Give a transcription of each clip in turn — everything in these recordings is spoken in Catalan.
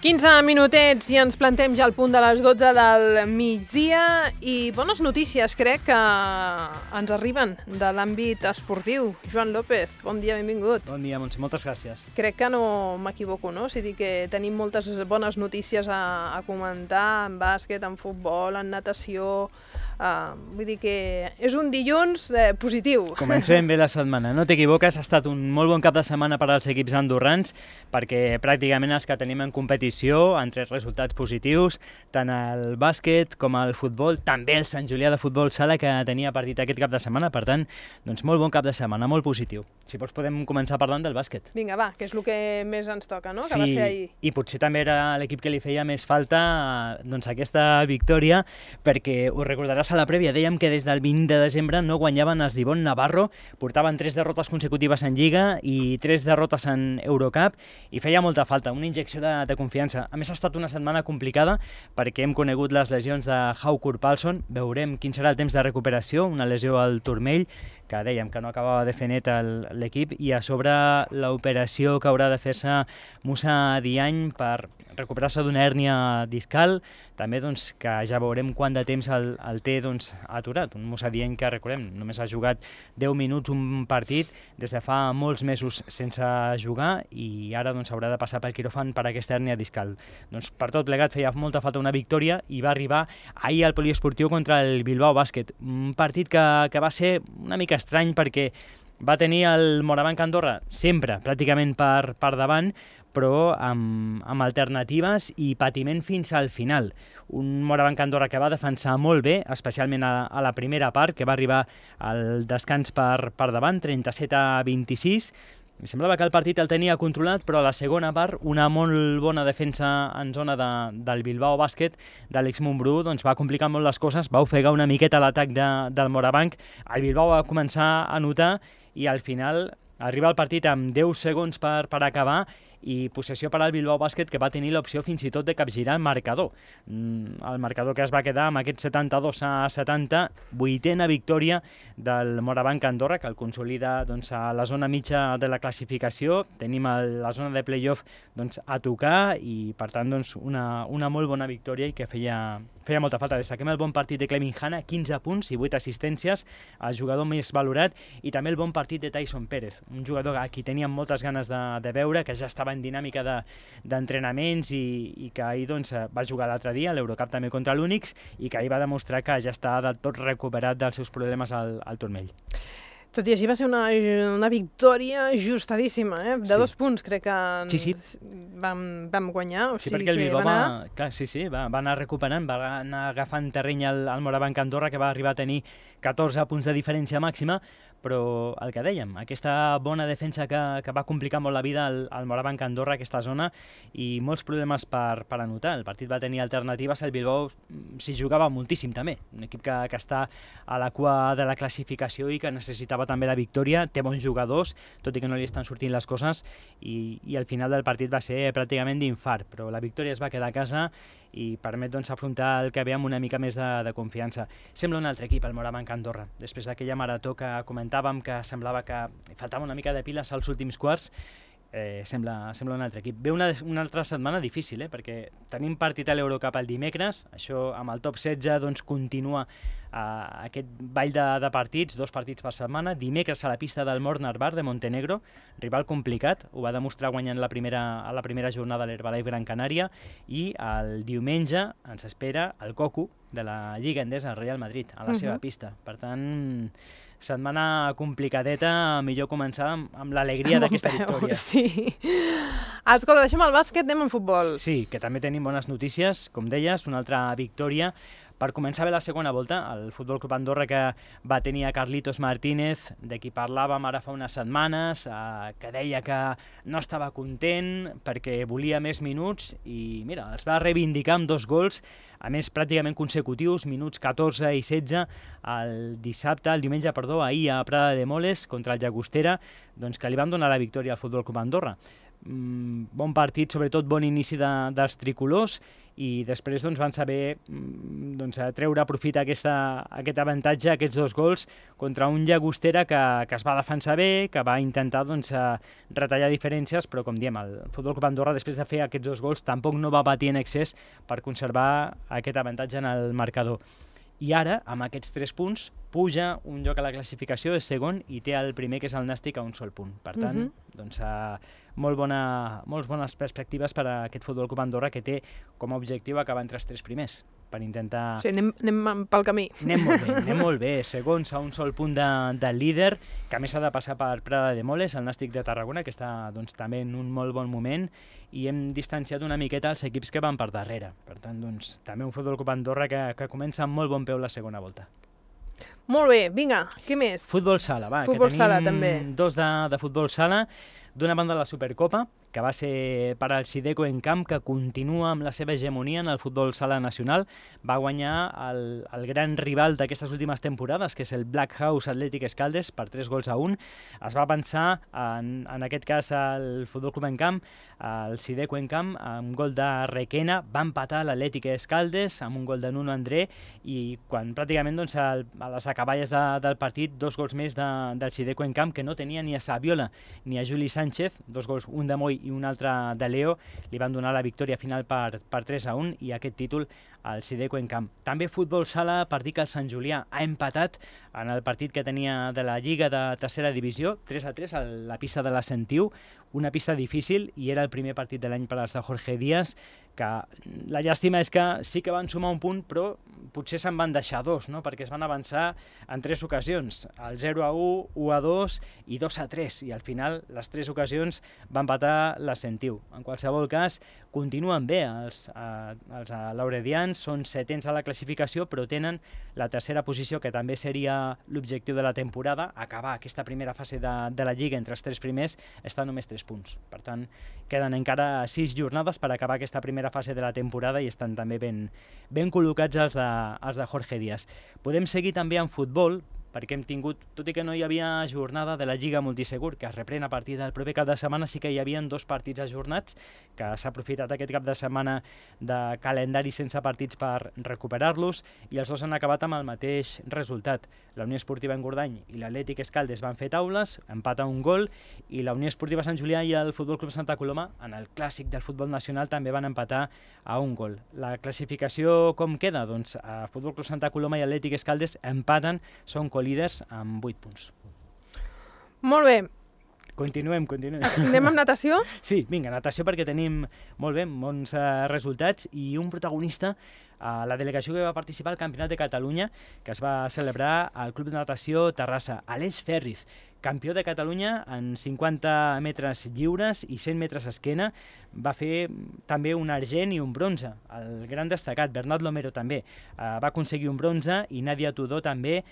15 minutets i ens plantem ja al punt de les 12 del migdia i bones notícies, crec, que ens arriben de l'àmbit esportiu. Joan López, bon dia, benvingut. Bon dia, Montse, moltes gràcies. Crec que no m'equivoco, no? Si dic que tenim moltes bones notícies a comentar en bàsquet, en futbol, en natació. Vull dir que és un dilluns positiu. Comencem bé la setmana, no t'equivoques, ha estat un molt bon cap de setmana per als equips andorrans perquè pràcticament els que tenim en competició han tret resultats positius, tant el bàsquet com el futbol, també el Sant Julià de Futbol Sala que tenia partit aquest cap de setmana, per tant, doncs molt bon cap de setmana, molt positiu. Si vols podem començar parlant del bàsquet. Vinga, va, que és el que més ens toca, no? Sí, que va ser ahir. I potser també era l'equip que li feia més falta doncs, aquesta victòria, perquè ho recordaràs a la prèvia, dèiem que des del 20 de desembre no guanyaven els d'Ivonne Navarro, portaven 3 derrotes consecutives en Lliga i 3 derrotes en Eurocup, i feia molta falta, una injecció de confiança. A més, ha estat una setmana complicada perquè hem conegut les lesions de Haukur Palsson, veurem quin serà el temps de recuperació, una lesió al turmell, que dèiem que no acabava de fer net l'equip, i a sobre l'operació que haurà de fer-se Moussa Diagne per recuperar-se d'una hèrnia discal, també doncs, que ja veurem quant de temps el té doncs, aturat. Un Moussa Diagne que, recordem, només ha jugat 10 minuts un partit des de fa molts mesos sense jugar i ara doncs, haurà de passar pel quiròfan per aquesta hèrnia discal. Doncs, per tot plegat feia molta falta una victòria i va arribar ahir al poliesportiu contra el Bilbao Bàsquet. Un partit que va ser una mica estrany perquè va tenir el Morabanc Andorra sempre pràcticament per davant, però amb alternatives i patiment fins al final. Un Morabanc Andorra que va defensar molt bé, especialment a la primera part, que va arribar al descans per davant, 37-26. Semblava que el partit el tenia controlat, però a la segona part, una molt bona defensa en zona del Bilbao Bàsquet, de l'Eix Montbrú, doncs va complicar molt les coses, va ofegar una miqueta l'atac del Morabanc. El Bilbao va començar a anotar i al final arriba el partit amb 10 segons per acabar i possessió per al Bilbao Bàsquet, que va tenir l'opció fins i tot de capgirar el marcador. El marcador que es va quedar amb aquest 72-70, 8a victòria del Morabanc Andorra, que el consolida doncs, a la zona mitja de la classificació. Tenim la zona de play-off doncs, a tocar i, per tant, doncs, una molt bona victòria i que feia molta falta. Destaquem el bon partit de Clemin Hanna, 15 punts i 8 assistències, el jugador més valorat, i també el bon partit de Tyson Pérez, un jugador a qui teníem moltes ganes de veure, que ja estava en dinàmica d'entrenaments i que ahir doncs, va jugar l'altre dia a l'Eurocup també contra l'Unix i que ahir va demostrar que ja està del tot recuperat dels seus problemes al turmell. Tot i així va ser una victòria ajustadíssima, de 2 punts, crec que sí. vam guanyar. Sí, perquè el Bilbao va anar recuperant, va anar agafant terreny al Morabanc Andorra, que va arribar a tenir 14 punts de diferència màxima, però el que dèiem, aquesta bona defensa que va complicar molt la vida al Morabanc Andorra, aquesta zona, i molts problemes per anotar. El partit va tenir alternatives, el Bilbao s'hi jugava moltíssim també, un equip que està a la cua de la classificació i que necessitava també la victòria, té bons jugadors, tot i que no li estan sortint les coses, i al final del partit va ser pràcticament d'infart, però la victòria es va quedar a casa i permet doncs, afrontar el que ve amb una mica més de confiança. Sembla un altre equip, el Morabanc Andorra. Després d'aquella marató que comentàvem, que semblava que faltava una mica de piles als últims quarts, sembla un altre equip. Ve una altra setmana difícil, perquè tenim partit a l'Eurocup el dimecres, això amb el top 16 doncs, continua aquest ball de partits, 2 partits per setmana. Dimecres a la pista del Mornar Bar de Montenegro, rival complicat, ho va demostrar guanyant a la primera jornada a l'Herbalife Gran Canària, i el diumenge ens espera el Cocu de la Lliga Endesa, el Real Madrid, a la seva pista. Per tant, setmana complicadeta, millor començar amb l'alegria d'aquesta victòria. Sí. Escolta, deixem el bàsquet, anem al futbol. Sí, que també tenim bones notícies, com deies, una altra victòria. Per començar bé la segona volta, el Futbol Club Andorra, que va tenir a Carlitos Martínez, de qui parlàvem ara fa unes setmanes, que deia que no estava content perquè volia més minuts i mira, els va reivindicar amb 2 gols, a més pràcticament consecutius, minuts 14 i 16, el diumenge, ahir a Prada de Moles contra el Llagostera, doncs que li van donar la victòria al Futbol Club Andorra. bon partit, sobretot bon inici dels tricolors, i després van saber treure profit aquest avantatge, aquests 2 gols, contra un Llagostera que es va defensar bé, que va intentar retallar diferències, però com diem, el Futbol Club Andorra, després de fer aquests 2 gols, tampoc no va patir en excés per conservar aquest avantatge en el marcador. I ara, amb aquests 3 punts, puja un lloc a la classificació, és segon, i té el primer, que és el Nàstic, a un sol punt. Per tant, molt bones perspectives per a aquest Futbol Club Andorra, que té com a objectiu acabar entre els 3 primers, per intentar... Sí, anem pel camí. Anem molt bé. Segons, a un sol punt del líder, que a més ha de passar per Prada de Moles, el Nàstic de Tarragona, que està també en un molt bon moment, i hem distanciat una miqueta els equips que van per darrere. Per tant, també un Futbol Club Andorra que comença amb molt bon peu la segona volta. Molt bé, vinga, què més? Futbol sala, va, futbol que tenim sala, també. 2 de futbol sala. D'una banda, la Supercopa, que va ser per al Sideco en camp, que continua amb la seva hegemonia en el futbol sala nacional. Va guanyar el gran rival d'aquestes últimes temporades, que és el Black House Athletic Escaldes, per 3-1. Es va pensar, en aquest cas, el Futbol Club en camp, el Sideco en camp, amb gol de Requena, va empatar l'Atlètic Escaldes amb un gol de Nuno André, i quan pràcticament a les acaballes del partit, 2 gols més del Sideco en camp, que no tenia ni a Saviola ni a Juli Sánchez, 2 gols, un de Moy i un altre de Leo, li van donar la victòria final per 3-1, i aquest títol al Sideco en camp. També futbol sala, per dir que el Sant Julià ha empatat en el partit que tenia de la Lliga de tercera divisió, 3-3 a la pista de la Sentiu, una pista difícil, i era el primer partit de l'any per als de Jorge Díaz, que la llàstima és que sí que van sumar un punt, però potser se'n van deixar 2, no? Perquè es van avançar en 3 ocasions, el 0-1, 1-2 i 2-3, i al final les 3 ocasions van empatar la Sentiu. En qualsevol cas, continuen bé els lauredians, són 7ens a la classificació, però tenen la tercera posició, que també seria l'objectiu de la temporada, acabar aquesta primera fase de la Lliga entre els 3 primers, està només 3 punts. Per tant, queden encara 6 jornades per acabar aquesta primera fase de la temporada, i estan també ben col·locats els de Jorge Díaz. Podem seguir també en futbol, perquè hem tingut, tot i que no hi havia jornada de la Lliga Multisegur, que es reprèn a partir del proper cap de setmana, sí que hi havia 2 partits ajornats, que s'ha aprofitat aquest cap de setmana de calendari sense partits per recuperar-los, i els 2 han acabat amb el mateix resultat. La Unió Esportiva Engordany i l'Atlètic Escaldes van fer taules, empat a un gol, i la Unió Esportiva Sant Julià i el Futbol Club Santa Coloma, en el clàssic del futbol nacional, també van empatar a un gol. La classificació com queda? Doncs Futbol Club Santa Coloma i Atlètic Escaldes empaten, són líders amb 8 punts. Molt bé. Continuem. Anem amb natació? Sí, vinga, natació, perquè tenim molt bé, bons resultats, i un protagonista, la delegació que va participar al Campionat de Catalunya, que es va celebrar al Club de Natació Terrassa, Aleix Ferriz, campió de Catalunya en 50 metres lliures i 100 metres esquena, va fer també un argent i un bronze. El gran destacat, Bernat Lomero, també va aconseguir un bronze, i Nàdia Tudor també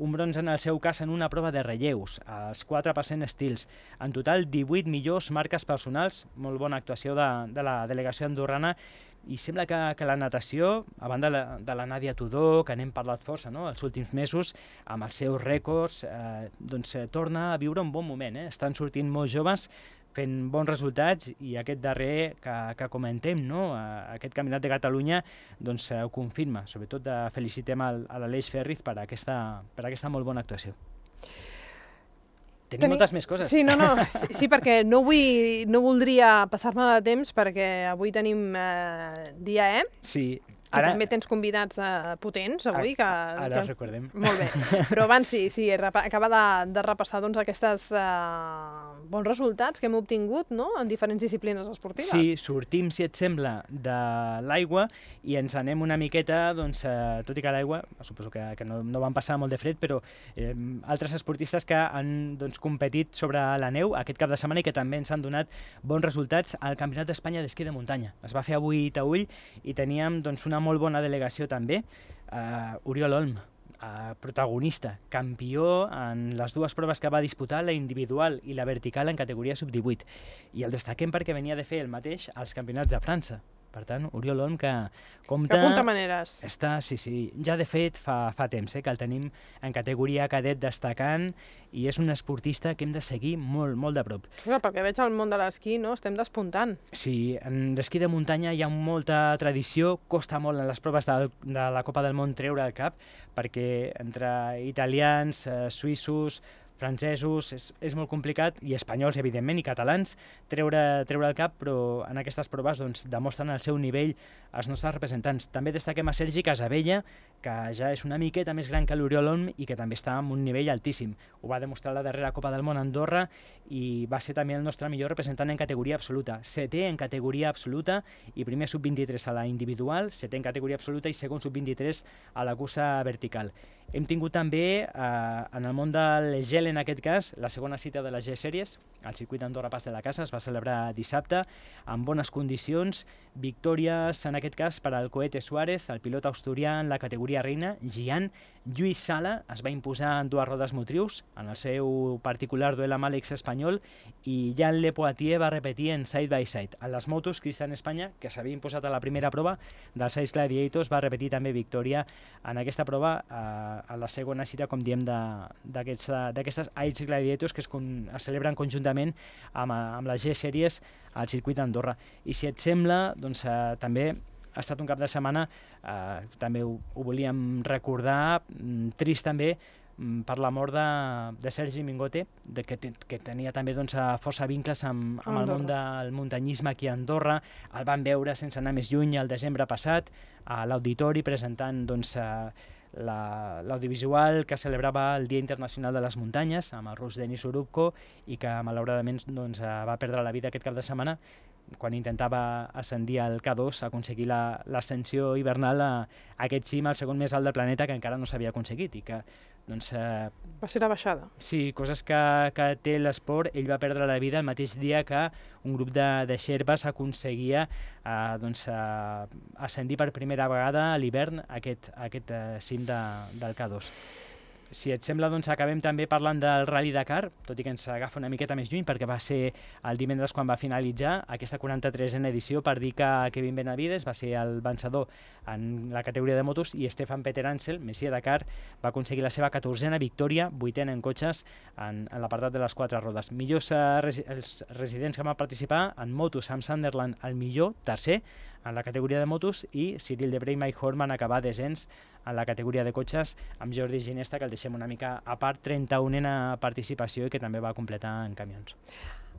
un bronze, en el seu cas, en una prova de relleus, els 4% estils. En total, 18 millors marques personals, molt bona actuació de la delegació andorrana, i sembla que la natació, a banda de la Nàdia Tudor, que n'hem parlat força, no?, els últims mesos, amb els seus rècords, torna a viure un bon moment. Estan sortint molts joves fent bons resultats, i aquest darrer que comentem, no?, aquest Campionat de Catalunya, doncs ho confirma. Sobretot felicitem a l'Aleix Ferriz per aquesta molt bona actuació. Tenim moltes més coses. Sí, sí, perquè no voldria passar-me de temps, perquè avui tenim dia E. Sí. I també tens convidats potents avui. Ara els recordem. Molt bé. Però abans sí, acaba de repassar aquests bons resultats que hem obtingut, no?, en diferents disciplines esportives. Sí, sortim, si et sembla, de l'aigua i ens anem una miqueta, doncs, tot i que l'aigua, suposo que no van passar molt de fred, però altres esportistes que han competit sobre la neu aquest cap de setmana i que també ens han donat bons resultats al Campionat d'Espanya d'esquí de muntanya. Es va fer avui a Taüll i teníem una molt bona delegació també, Oriol Olm, protagonista, campió en les 2 proves que va disputar, la individual i la vertical en categoria sub-18. I el destaquem perquè venia de fer el mateix als campionats de França. Per tant, Oriol Olm, que Que apunta maneres. Està, sí, ja de fet fa temps que el tenim en categoria cadet destacant i és un esportista que hem de seguir molt, molt de prop. Clar, perquè veig el món de l'esquí, no? Estem despuntant. Sí, en l'esquí de muntanya hi ha molta tradició, costa molt en les proves de la Copa del Món treure el cap, perquè entre italians, suïssos, francesos, és molt complicat, i espanyols, evidentment, i catalans, treure el cap, però en aquestes proves doncs, demostren el seu nivell els nostres representants. També destaquem a Sergi Casabella, que ja és una miqueta més gran que l'Oriol Olm i que també està en un nivell altíssim. Ho va demostrar la darrera Copa del Món a Andorra i va ser també el nostre millor representant en categoria absoluta. Setè en categoria absoluta i primer sub-23 a la individual, setè en categoria absoluta i segon sub-23 a la cursa vertical. Hem tingut també, en el món del gel en aquest cas, la segona cita de les G-Sèries, al circuit d'Andorra Pas de la Casa, es va celebrar dissabte, amb bones condicions, victòries en aquest cas per al Cohete Suárez, el pilot asturià en la categoria reina, Gian. Lluís Sala es va imposar en dues rodes motrius, en el seu particular duel amb Àlex espanyol, i Jan Le Poitier va repetir en side by side. En les motos, Cristian Espanya, que s'havia imposat a la primera prova dels Ice Gladiators, va repetir també victòria en aquesta prova a la segona cita, com diem, d'aquestes Ice Gladiators que es celebren conjuntament amb les G-Sèries al circuit d'Andorra. I si et sembla, doncs també ha estat un cap de setmana, també ho volíem recordar, trist també, per la mort de Sergi Mingote, que tenia també doncs, força vincles amb el món del muntanyisme aquí a Andorra. El van veure, sense anar més lluny, el desembre passat, a l'auditori presentant doncs, l'audiovisual que celebrava el Dia Internacional de les Muntanyes amb el rus Denis Urubko i que malauradament doncs, va perdre la vida aquest cap de setmana quan intentava ascendir al K2, aconseguir l'ascensió hivernal a aquest cim, el segon més alt del planeta, que encara no s'havia aconseguit i que doncs, va ser la baixada. Sí, coses que té l'esport. Ell va perdre la vida el mateix dia que un grup de xerpes aconseguia doncs, ascendir per primera vegada a l'hivern aquest cim del K2. Si et sembla, doncs acabem també parlant del Rally Dakar, tot i que ens agafa una miqueta més lluny, perquè va ser el divendres quan va finalitzar aquesta 43a edició, per dir que Kevin Benavides va ser el vencedor en la categoria de motos i Stefan Peter Ansel, Messier Dakar, va aconseguir la seva 14a victòria, 8a en cotxes, en l'apartat de les 4 rodes. Millors els residents que van participar en motos, Sam Sunderland el millor, tercer, en la categoria de motos, i Cyril Debré i Mike Horn van acabar desens en la categoria de cotxes, amb Jordi Ginesta, que el deixem una mica a part, 31a participació i que també va completar en camions.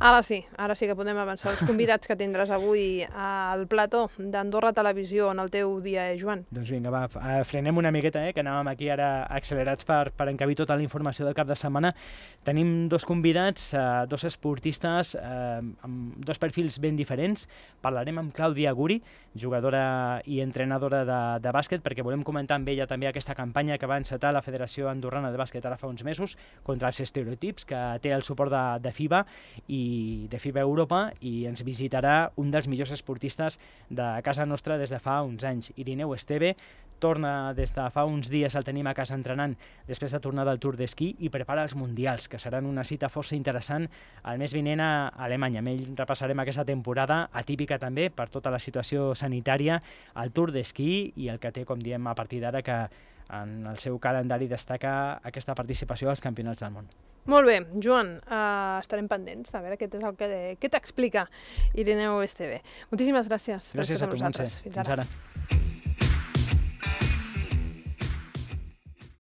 Ara sí que podem avançar els convidats que tindràs avui al plató d'Andorra Televisió en el teu dia, Joan. Doncs vinga, va, frenem una miqueta, que anàvem aquí ara accelerats per encabir tota la informació del cap de setmana. Tenim dos convidats, dos esportistes amb dos perfils ben diferents. Parlarem amb Clàudia Guri, jugadora i entrenadora de bàsquet, perquè volem comentar amb ella també aquesta campanya que va encetar la Federació Andorrana de Bàsquet ara fa uns mesos contra els estereotips, que té el suport de FIBA i de FIBA Europa, i ens visitarà un dels millors esportistes de casa nostra des de fa uns anys, Irineu Esteve. Torna des de fa uns dies, el tenim a casa entrenant després de tornar del Tour d'esquí i prepara els Mundials, que seran una cita força interessant el mes vinent a Alemanya. Amb ell repassarem aquesta temporada atípica també per tota la situació sanitària, el Tour d'esquí i el que té, com diem, a partir d'ara, que en el seu calendari destaca aquesta participació als Campionats del Món. Molt bé, Joan, estarem pendents a veure què és el que t'explica Irineu Esteve. Moltíssimes gràcies. Gràcies a tu, Montse. Fins ara.